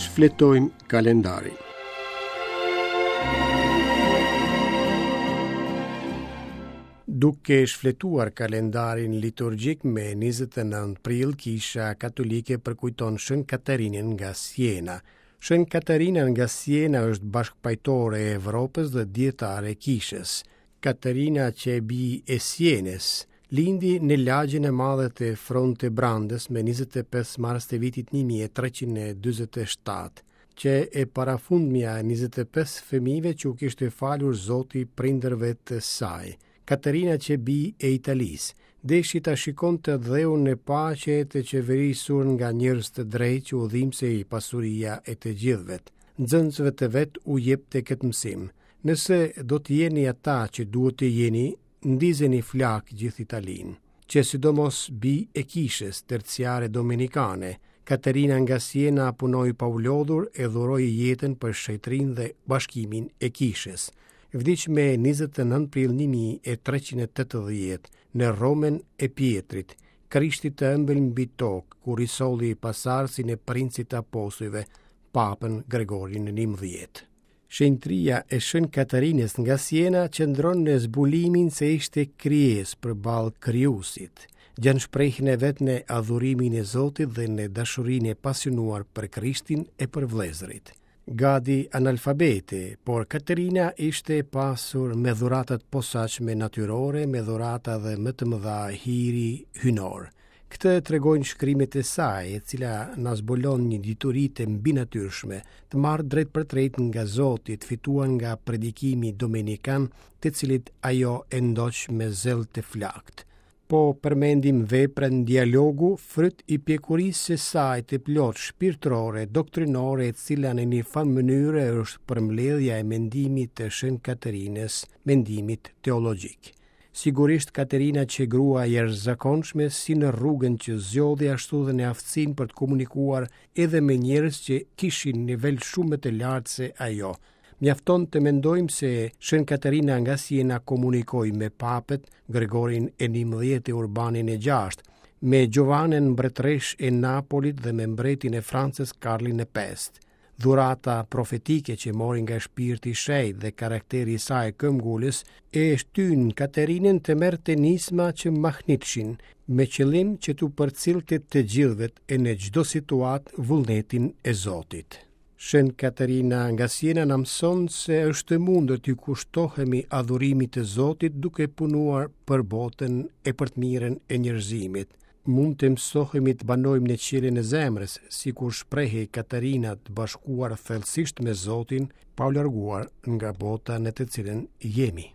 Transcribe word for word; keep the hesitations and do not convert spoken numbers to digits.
Shfletojmë kalendarin. Duke shfletuar kalendarin liturgjik me njëzet e nëntë prill, Kisha Katolike përkujton Shën Katarinën nga Siena. Shën Katarina nga Siena është bashkëpajtore e Evropës dhe dietare e Kishës. Katarina që e bi e Sienës, lindi në lagjen e madhe të Fronte Brandës me njëzet e pesë mars të vitit një mijë e treqind e dyzet e shtatë, që e parafundmja e njëzet e pesë fëmijëve që u kishte falur Zoti prindërve të saj. Katarina që bi e Italisë, deshi ta shikonte dheun në paqe të qeverisur nga njerëz të drejtë që u dhimbsej pasuria e të gjithëve. Nxënësve të vet u jepte këtë mësim: nëse do të jeni ata që duhet të jeni, ndizeni flak gjithë Italinë. Që sidomos bi e kishës terciare dominikane, Katarina nga Siena punoi pa u lodhur e dhuroi jetën për shetërinë dhe bashkimin e kishës. Vdiq me njëzet e nëntë prill një mijë e treqind e tetëdhjetë në Romën e Pietrit, Krishtit të ëmbël mbi tokë, kur i solli pasardhësin e princit të apostujve, Papën Gregorin e njëmbëdhjetë. Shenjtëria e Shën Katarinës nga Siena qëndron në zbulimin se ishte krijesë përballë krijuesit. Gjen shprehjen e vet në adhurimin e Zotit dhe në dashurinë e pasionuar për Krishtin e për vëllezërit. Gadi analfabete, por Katerina ishte e pasur me dhuratat posaçme natyrore, me dhurata dhe më të mëdha hiri hynor. Këtë e tregojnë shkrimet e saj, e cila na zbulon një dituri të mbinatyrshme, të marrë drejt për drejt nga Zoti, të fituar nga predikimi dominikan, të cilit ajo e ndoq me zell të flaktë. Po përmendim veprën Dialogu, fryt i pjekurisë së saj të plotë shpirtërore, doktrinore, e cila në një farë mënyre është përmbledhja e mendimit të Shën Katerinës, mendimit teologjik. Sigurisht Katerina që grua e jashtëzakonshme si në rrugën që zgjodhi ashtu dhe në aftësinë për të komunikuar edhe me njerëz që kishin nivel shumë më të lartë se ajo. Mjafton të mendojmë se Shën Katerina nga Siena komunikoi me papët Gregorin e njëmbëdhjetë e Urbanin e gjashtë, me Giovanën mbretëresh e Napolit dhe me mbretin e Francës Karlin e pestë. Dhurata profetike që mori nga shpirti i shenjtë dhe karakteri i saj këmbgulës e shtyn Katerinën të merrte nisma që mahnitshin, me qëllim që t'u përcillte të gjithëve e në çdo situatë vullnetin e Zotit. Shën Katerina nga Siena na mëson se është e mundur t'i kushtohemi adhurimit të Zotit duke punuar për botën e për të mirën e njerëzimit. Mund të mësohemi të banojmë në qiellin e zemrës, sikur shprehej Katerina të bashkuar thellësisht me Zotin, pa u larguar nga bota në të cilën jemi.